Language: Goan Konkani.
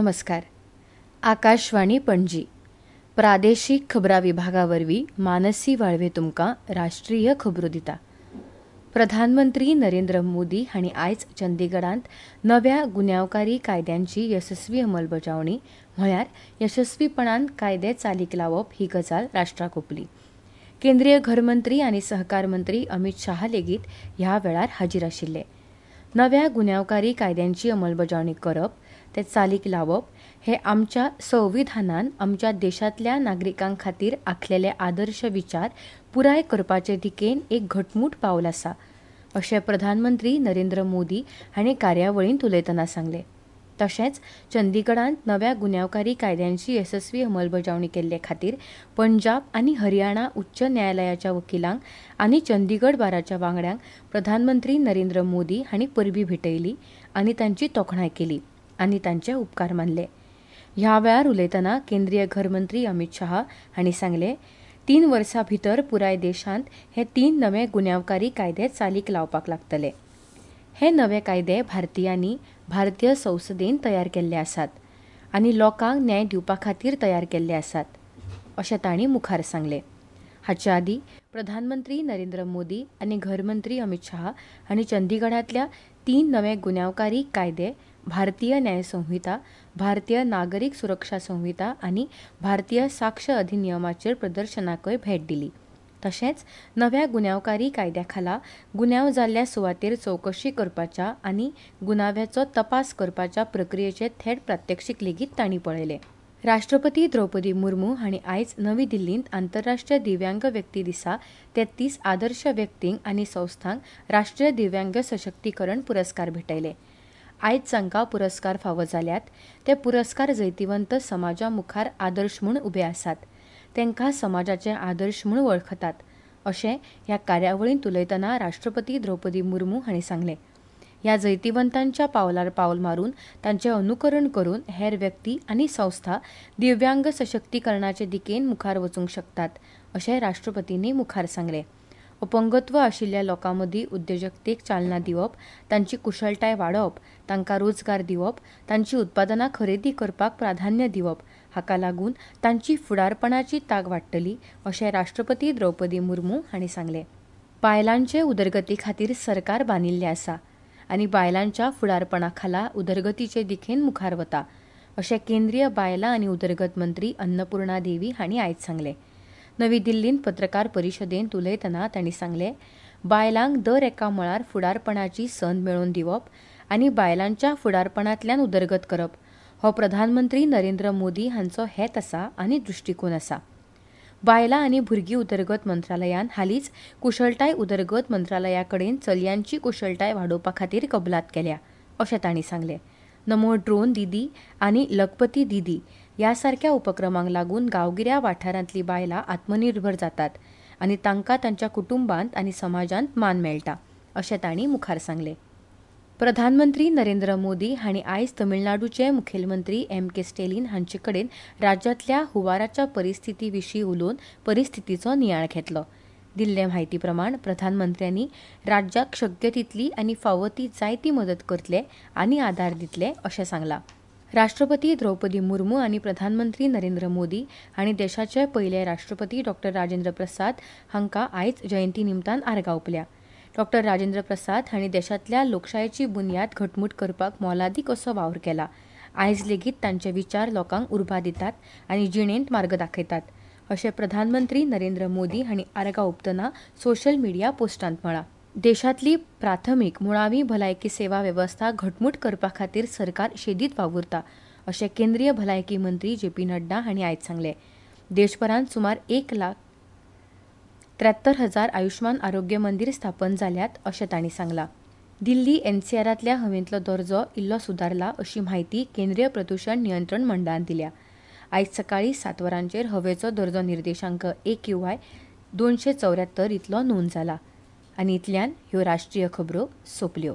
नमस्कार. आकाशवाणी पणजी प्रादेशीक खबरां विभागा वरवीं मानसी वाळवे तुमकां राष्ट्रीय खबरो दिता. प्रधानमंत्री नरेंद्र मोदी हांणी आयज चंदीगडांत नव्या गुन्यांवकारी कायद्यांची येसस्वी अंमलबजावणी म्हळ्यार येसस्वीपणान कायदे चालीक लावप ही गजाल राष्ट्राक ओंपली. केंद्रीय घरमंत्री आनी सहकार मंत्री अमित शाह लेगीत ह्या वेळार हाजीर आशिल्ले. नव्या गुन्यांवकारी कायद्यांची अंमलबजावणी करप, ते चालीक लावप हे आमच्या संविधानान आमच्या देशांतल्या नागरिकां खातीर आंखलेले आदर्श विचार पुराय करपाचे दिकेन एक घटमूट पावल आसा, अशें प्रधानमंत्री नरेंद्र मोदी हांणी कार्यावळींत उलयतना सांगलें. तशेंच चंदीगडांत नव्या गुन्यांवकारी कायद्यांची येसस्वी अंमलबजावणी केल्ले खातीर पंजाब आनी हरियाणा उच्च न्यायालयाच्या वकिलांक आनी चंदीगड बाराच्या वांगड्यांक प्रधानमंत्री नरेंद्र मोदी हांणी परबीं भेटयली आनी तांची तोखणाय केली आनी तांचे उपकार मानले. ह्या वेळार उलयतना केंद्रीय घरमंत्री अमित शाह हांणी सांगलें, 3 वर्सां भितर पुराय देशांत हे 3 नवे गुन्यांवकारी कायदे चालीक लावपाक लागतले. हे नवे कायदे भारतीयांनी भारतीय संसदेन तयार केल्ले आसात आनी लोकांक न्याय दिवपा खातीर तयार केल्ले आसात, अशें तांणी मुखार सांगलें. हाचे आदीं प्रधानमंत्री नरेंद्र मोदी आनी घरमंत्री अमित शाह हांणी चंदीगडांतल्या 3 नवे गुन्यांवकारी कायदे भारतीय न्याय संहिता, भारतीय नागरीक सुरक्षा संहिता आनी भारतीय साक्ष अधिनियमाचेर प्रदर्शनाकय भेट दिली. तशेंच नव्या गुन्यांवकारी कायद्या खाला गुन्यांव जाल्ल्या सुवातेर चवकशी करपाच्या आनी गुन्यांव्याचो तपास करपाच्या प्रक्रियेचे थेट प्रात्यक्षीक लेगीत तांणी पळयलें. राष्ट्रपती द्रौपदी मुर्मू हांणी आयज नवी दिल्लींत आंतरराष्ट्रीय दिव्यांग व्यक्ती दिसा 33 आदर्श व्यक्तींक आनी संस्थांक राष्ट्रीय दिव्यांग सशक्तीकरण पुरस्कार भेटयले. आयज जांकां पुरस्कार फावो जाल्यात ते पुरस्कार जैतिवंत समाजा मुखार आदर्श म्हूण उबे आसात, तांकां समाजाचे आदर्श म्हूण वळखतात, अशें ह्या कार्यावळींत उलयतना राष्ट्रपती द्रौपदी मुर्मू हांणी सांगलें. ह्या जैतिवंतांच्या पावलार पावल मारून तांचें अनुकरण करून हेर व्यक्ती आनी संस्था दिव्यांग सशक्तीकरणाचे दिकेन मुखार वचूंक शकतात, अशें राष्ट्रपतींनी मुखार सांगलें. अपंगत्व आशिल्ल्या लोकां मदीं उद्देजकतेक चालना दिवप, तांची कुशळटाय वाडोवप, तांकां रोजगार दिवप, तांची उत्पादनां खरेदी करपाक प्राधान्य दिवप हाका लागून तांची फुडारपणाची तांक वाडटली, अशें राष्ट्रपती द्रौपदी मुर्मू हांणी सांगलें. बायलांचे उदरगती खातीर सरकार बांदिल्लें आसा आनी बायलांच्या फुडारपणा खाला उदरगतीचे दिकेन मुखार वता, अशें केंद्रीय बायलां आनी उदरगत मंत्री अन्नपूर्णा देवी हांणी आयज सांगलें. नवी दिल्लींत पत्रकार परिशदेंत उलयतना तांणी सांगलें, बायलांक दर एका मळार फुडारपणाची संद मेळोवन दिवप आनी बायलांच्या फुडारपणांतल्यान उदरगत करप हो प्रधानमंत्री नरेंद्र मोदी हांचो हेत आसा आनी दृश्टीकोन आसा. बायलां आनी भुरगीं उदरगत मंत्रालयान हालींच कुशळटाय उदरगत मंत्रालया कडेन चलयांची कुशळटाय वाडोवपा खातीर कबलात केल्या, अशें तांणी सांगलें. नमो ड्रोन दिदी आनी लखपती दिदी ह्या सारक्या उपक्रमांक लागून गांवगिऱ्या वाठारांतली बायलां आत्मनिर्भर जातात आनी तांकां तांच्या कुटुंबांत आनी समाजांत मान मेळटा, अशें तांणी मुखार सांगलें. प्रधानमंत्री नरेंद्र मोदी हांणी आयज तमिळनाडूचे मुखेलमंत्री एम के स्टॅलिन हांचे कडेन राज्यांतल्या हुंवाराच्या परिस्थिती विशीं उलोवन परिस्थितीचो नियाळ घेतलो. दिल्ले म्हायती प्रमाण प्रधानमंत्र्यांनी राज्याक शक्य तितली आनी फावो ती जायती मदत करतले आनी आदार दितले, अशें सांगलां. राष्ट्रपती द्रौपदी मुर्मू आनी प्रधानमंत्री नरेंद्र मोदी हांणी देशाचे पयले राष्ट्रपती डॉ राजेंद्र प्रसाद हांकां आयज जयंती निमतान आर्गां ओंपल्या. डॉ राजेंद्र प्रसाद हांणी देशांतल्या लोकशायेची बुन्याद घटमूट करपाक मोलादीक असो वावर केला. आयज लेगीत तांचे विचार लोकांक उर्बा दितात आनी जिणेंत मार्ग दाखयतात, अशें प्रधानमंत्री नरेंद्र मोदी हांणी आर्गां ओंपतना सोशल मिडिया पोस्टांत म्हळां. देशांतली प्राथमीक मुळावी भलायकी सेवा वेवस्था घटमूट करपा खातीर सरकार शेदीत वावुरता, अशें केंद्रीय भलायकी मंत्री जे पी नड्डा हांणी आयज सांगलें. देशभरांत सुमार 1,73,000 आयुष्मान आरोग्य मंदिर स्थापन जाल्यात, अशें तांणी सांगलां. दिल्ली एनसीआरांतल्या हवेंतलो दर्जो इल्लो सुदारला, अशी म्हायती केंद्रीय प्रदूशण नियंत्रण मंडळान दिल्या. आयज सकाळीं 7 वरांचेर हवेचो दर्जो निर्देशांक AQI 274 इतलो नोंद जाला. आनी इतल्यान ह्यो राष्ट्रीय खबरो सोंपल्यो.